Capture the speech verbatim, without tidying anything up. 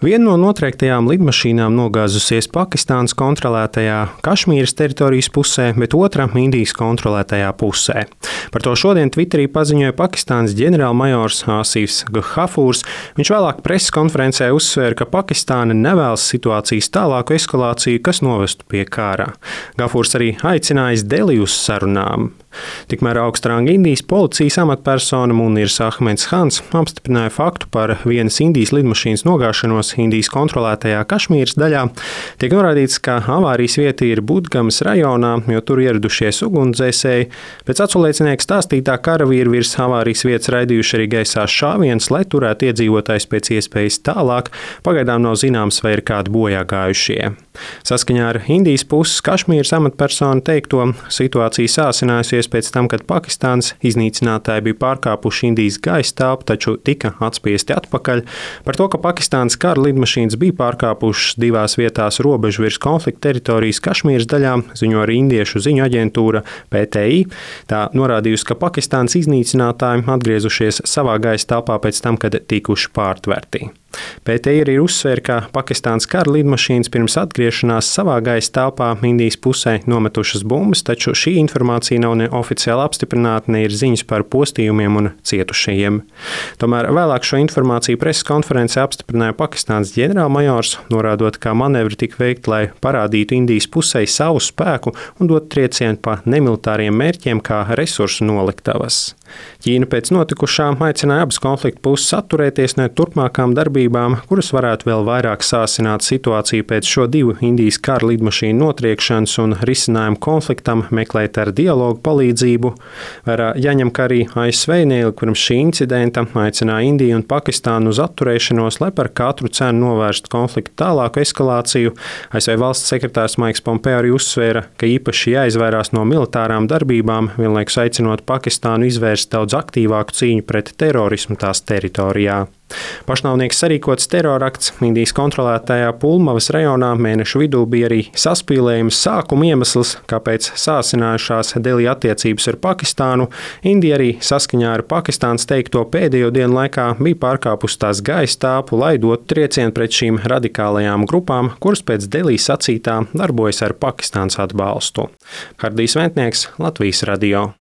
Viena no notriektajām lidmašīnām nogāzusies Pakistānas kontrolētajā Kašmīras teritorijas pusē, bet otra Indijas kontrolētajā pusē. Par to šodien Twitterī paziņoja Pakistānas ģenerālmajors Āsifs Gafūrs. Viņš vēlāk preses konferencē uzsvēra, ka Pakistāna nevēlas situācijas tālāku eskalāciju, kas novestu pie kara. Gafūrs arī aicinājis Deliju uz sarunām. Tikmēr augstranga Indijas policijas amatpersona Munirs Ahmeds Hans apstiprināja faktu par vienas Indijas lidmašīnas nogāšanos Indijas kontrolētajā Kašmīras daļā. Tiek norādīts, ka avārijas vieta ir Budgamas rajonā, jo tur ieradušies ugunsdzēsēji. Pēc aculiecinieka stāstītā karavīri virs avārijas vietas raidījuši arī gaisā šāvienus, lai turētu iedzīvotājus pēc iespējas tālāk. Pagaidām nav zināms, vai ir kādi bojāgājušie. Saskaņā ar Indijas puses Kašmīras amatpersonu teikto, situācija sāsinājusies pēc tam, kad Pakistānas iznīcinātāji bija pārkāpuši Indijas gaisa telpu, taču tika atspiesti atpakaļ. Par to, ka Pakistānas kara lidmašīnas bija pārkāpušas divās vietās robežu virs konflikta teritorijas Kašmīras daļā, ziņo arī indiešu ziņu aģentūra P T I. Tā norādījusi, ka Pakistānas iznīcinātāji atgriezušies savā gaisa telpā pēc tam, kad tikuši pārtverti. P T I arī uzsvēra, ka Pakistānas kara lidmašīnas pirms atgriešanās savā gaisa telpā Indijas pusē nometušas bumbas, taču šī informācija nav ne oficiāli apstiprināta, ne ir ziņas par postījumiem un cietušajiem. Tomēr vēlāk šo informāciju preses konferencē apstiprināja Pakistānas ģenerālmajors, norādot, ka manevri tika veikti, lai parādītu Indijas pusē savu spēku un dot triecienu pa nemilitāriem mērķiem kā resursu noliktavas. Ķīna pēc notikušā aicināja abas konflikta puses atturēties no turpmākām darbībām, kuras varētu vēl vairāk sāsināt situāciju pēc šo divu Indijas kara lidmašīnu notriekšanas un risinājumu konfliktam meklēt ar dialogu palīdzību. Vērā jāņem, ka arī A S V neilgi pirms šī incidenta aicināja Indiju un Pakistānu uz atturēšanos, lai par katru cenu novērstu konfliktu tālāku eskalāciju. A S V valsts sekretārs Maiks Pompeo arī uzsvēra, ka īpaši jāizvairās no militārām darbībām, vienlaikus aicinot Pakistānu izvērst daudz aktīvāku cīņu pret terorismu tās teritorijā. Pašnāvnieks sarīkots terorakts Indijas kontrolētajā Pulmavas rajonā mēnešu vidū bija arī saspīlējums sākuma iemesls, kāpēc sāsinājušās Delī attiecības ar Pakistānu. Indija arī saskaņā ar Pakistānas teikto pēdējo dienu laikā bija pārkāpusi tās gaisa telpu, lai dotu triecienu pret šīm radikālajām grupām, kuras pēc Delī sacītā darbojas ar Pakistānas atbalstu. Hardijs Ventnieks, Latvijas radio.